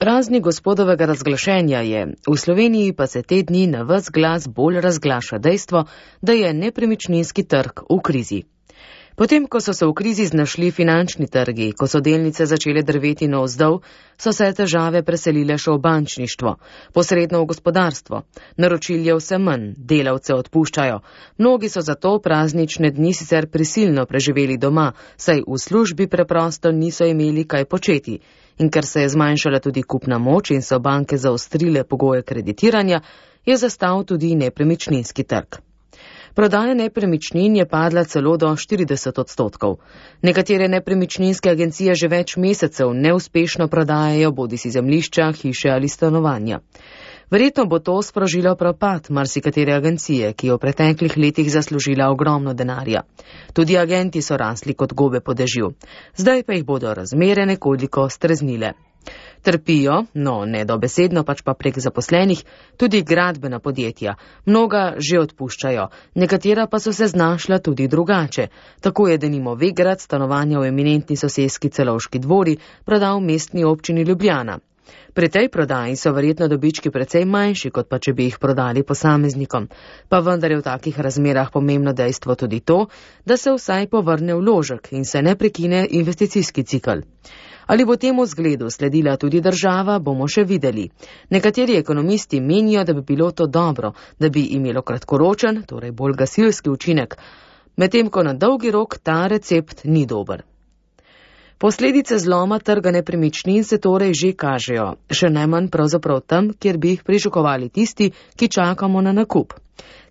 Praznik gospodovega razglašenja je, v Sloveniji pa se te dni na ves glas bolj razglaša dejstvo, da je nepremičninski trg v krizi. Potem, ko so se v krizi znašli finančni trgi, ko so delnice začele drveti navzdol, so se težave preselile še v bančništvo, posredno v gospodarstvo. Naročil je vse manj, delavce odpuščajo. Mnogi so zato praznične dni sicer prisilno preživeli doma, saj v službi preprosto niso imeli kaj početi. In ker se je zmanjšala tudi kupna moč in so banke zaostrile pogoje kreditiranja, je zastal tudi nepremičninski trg. Prodaja nepremičnin je padla celo do 40%. Nekatere nepremičninske agencije že več mesecev neuspešno prodajajo bodisi zemljišča, hiše ali stanovanja. Verjetno bo to sprožilo propad marsikatere agencije, ki je v preteklih letih zaslužila ogromno denarja. Tudi agenti so rasli kot gobe po dežju. Zdaj pa jih bodo razmere nekoliko streznile. Trpijo, no ne dobesedno, pač pa prek zaposlenih, tudi gradbena podjetja. Mnoga že odpuščajo, nekatera pa so se znašla tudi drugače. Tako je denimo Vegrad stanovanja v eminentni soseski Celovški dvori prodal mestni občini Ljubljana. Pri tej prodaji so verjetno dobički precej manjši, kot pa če bi jih prodali posameznikom. Pa vendar je v takih razmerah pomembno dejstvo tudi to, da se vsaj povrne vložek in se ne prekine investicijski cikl. Ali bo temu zgledu sledila tudi država, bomo še videli. Nekateri ekonomisti menijo, da bi bilo to dobro, da bi imelo kratkoročen, torej bolj gasilski učinek, medtem ko na dolgi rok ta recept ni dober. Posledice zloma trga nepremičnin se torej že kažejo, še najmanj pravzaprav tam, kjer bi jih pričakovali tisti, ki čakamo na nakup.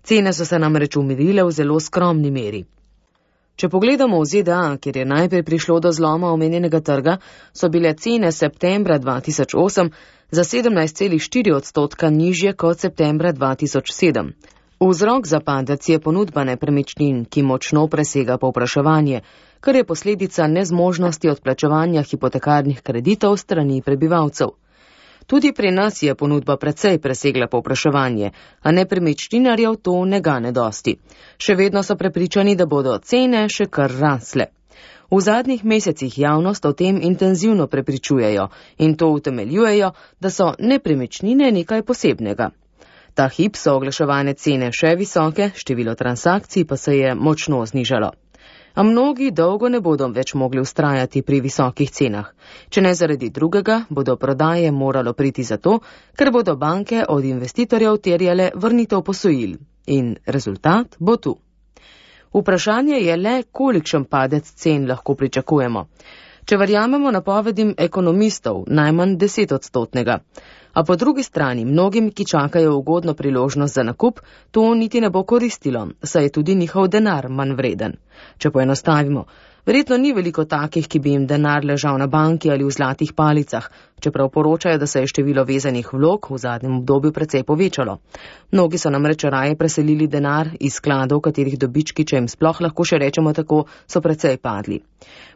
Cene so se namreč umirile v zelo skromni meri. Če pogledamo v ZDA, kjer je najprej prišlo do zloma omenjenega trga, so bile cene septembra 2008 za 17,4% nižje kot septembra 2007. Vzrok za padec je ponudba nepremičnin, ki močno presega povpraševanje, kar je posledica nezmožnosti odplačevanja hipotekarnih kreditov strani prebivalcev. Tudi pri nas je ponudba precej presegla povpraševanje, a nepremičninarjev to ne gane dosti. Še vedno so prepričani, da bodo cene še kar rasle. V zadnjih mesecih javnost o tem intenzivno prepričujejo in to utemeljujejo, da so nepremičnine nekaj posebnega. Ta hip so oglaševane cene še visoke, število transakcij pa se je močno znižalo. A mnogi dolgo ne bodo več mogli vztrajati pri visokih cenah. Če ne zaradi drugega, bodo prodaje moralo priti zato, ker bodo banke od investitorjev terjale vrnitev posojil. In rezultat bo tu. Vprašanje je le, kolikšen padec cen lahko pričakujemo. Če verjamemo napovedim ekonomistov, najmanj 10%. A po drugi strani mnogim, ki čakajo ugodno priložnost za nakup, to niti ne bo koristilo, saj je tudi njihov denar manj vreden. Če poenostavimo, verjetno ni veliko takih, ki bi jim denar ležal na banki ali v zlatih palicah, čeprav poročajo, da se je število vezanih vlog v zadnjem obdobju precej povečalo. Mnogi so namreč raje preselili denar iz skladov, katerih dobički, če jim sploh lahko še rečemo tako, so precej padli.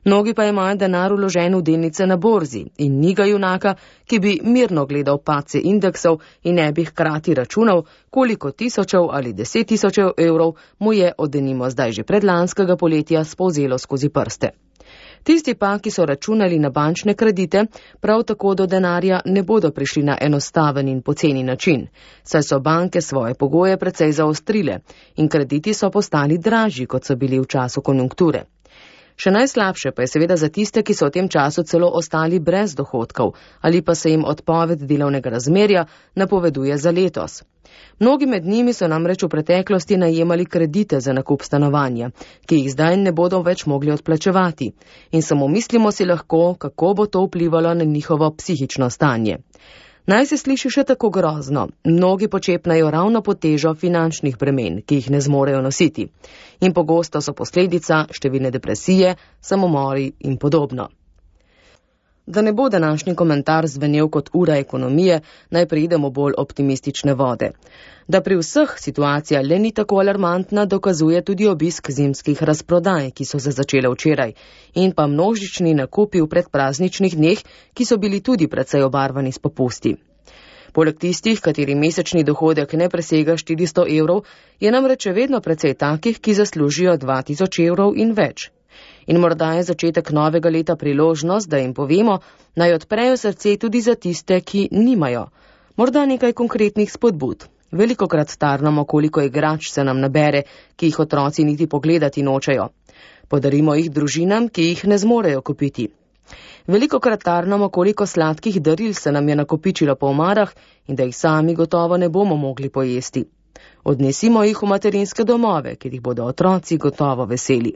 Mnogi pa imajo denar vložen v delnice na borzi in ni ga junaka, ki bi mirno gledal padce indeksov in ne bi hkrati računal, koliko tisočev ali 10.000 evrov mu je od denimo zdaj že predlanskega poletja spolzelo skozi prste. Tisti pa, ki so računali na bančne kredite, prav tako do denarja ne bodo prišli na enostaven in poceni način, saj so banke svoje pogoje precej zaostrile in krediti so postali dražji, kot so bili v času konjunkture. Še najslabše pa je seveda za tiste, ki so v tem času celo ostali brez dohodkov ali pa se jim odpoved delovnega razmerja napoveduje za letos. Mnogi med njimi so namreč v preteklosti najemali kredite za nakup stanovanja, ki jih zdaj ne bodo več mogli odplačevati. In samo mislimo si lahko, kako bo to vplivalo na njihovo psihično stanje. Naj se sliši še tako grozno, mnogi počepnajo ravno pod težo finančnih bremen, ki jih ne zmorejo nositi. In pogosto so posledica številne depresije, samomori in podobno. Da ne bo današnji komentar zvenel kot ura ekonomije, naj preidemo bolj optimistične vode. Da pri vseh situacija le ni tako alarmantna, dokazuje tudi obisk zimskih razprodaj, ki so se začele včeraj, in pa množični nakupi v predprazničnih dneh, ki so bili tudi precej obarvani s popusti. Poleg tistih, kateri mesečni dohodek ne presega 400 evrov, je namreč vedno precej takih, ki zaslužijo 2000 evrov in več. In morda je začetek novega leta priložnost, da jim povemo, naj odprejo srce tudi za tiste, ki nimajo. Morda nekaj konkretnih spodbud. Velikokrat tarnamo, koliko igrač se nam nabere, ki jih otroci niti pogledati nočejo. Podarimo jih družinam, ki jih ne zmorejo kupiti. Velikokrat tarnamo, koliko sladkih daril se nam je nakopičilo po omarah in da jih sami gotovo ne bomo mogli pojesti. Odnesimo jih v materinske domove, kjer jih bodo otroci gotovo veseli.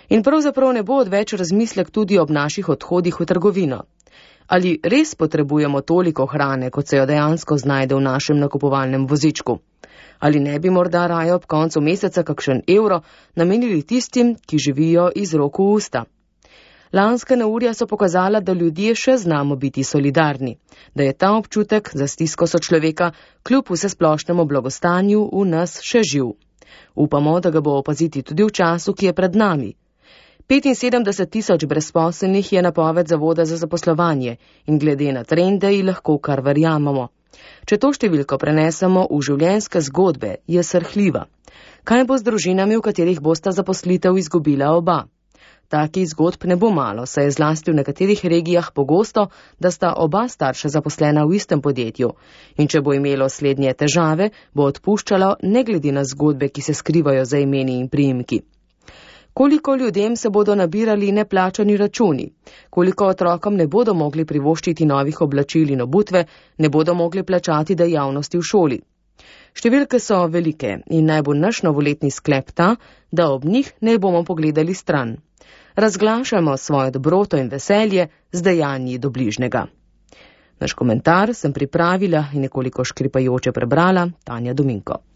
In pravzaprav ne bo odveč razmislek tudi ob naših odhodih v trgovino. Ali res potrebujemo toliko hrane, kot se jo dejansko znajde v našem nakupovalnem vozičku? Ali ne bi morda raje ob koncu meseca kakšen evro namenili tistim, ki živijo iz rok v usta? Lanska neurja so pokazala, da ljudje še znamo biti solidarni, da je ta občutek za stisko sočloveka kljub vsesplošnemu blagostanju v nas še živ. Upamo, da ga bo opaziti tudi v času, ki je pred nami. 75 000 brezposelnih je napoved Zavoda za zaposlovanje in glede na trende ji lahko kar verjamemo. Če to številko prenesemo v življenjske zgodbe, je srhljiva. Kaj bo z družinami, v katerih bosta zaposlitev izgubila oba? Takih zgodb ne bo malo, saj je zlasti v nekaterih regijah pogosto, da sta oba starša zaposlena v istem podjetju. In če bo imelo slednje težave, bo odpuščalo ne glede na zgodbe, ki se skrivajo za imeni in priimki. Koliko ljudem se bodo nabirali neplačani računi? Koliko otrokom ne bodo mogli privoščiti novih oblačil in obutve, ne bodo mogli plačati dejavnosti v šoli? Številke so velike in naj bo naš novoletni sklep ta, da ob njih ne bomo pogledali stran. Razglašamo svojo dobroto in veselje z dejanji do bližnjega. Naš komentar sem pripravila in nekoliko škripajoče prebrala Tanja Dominko.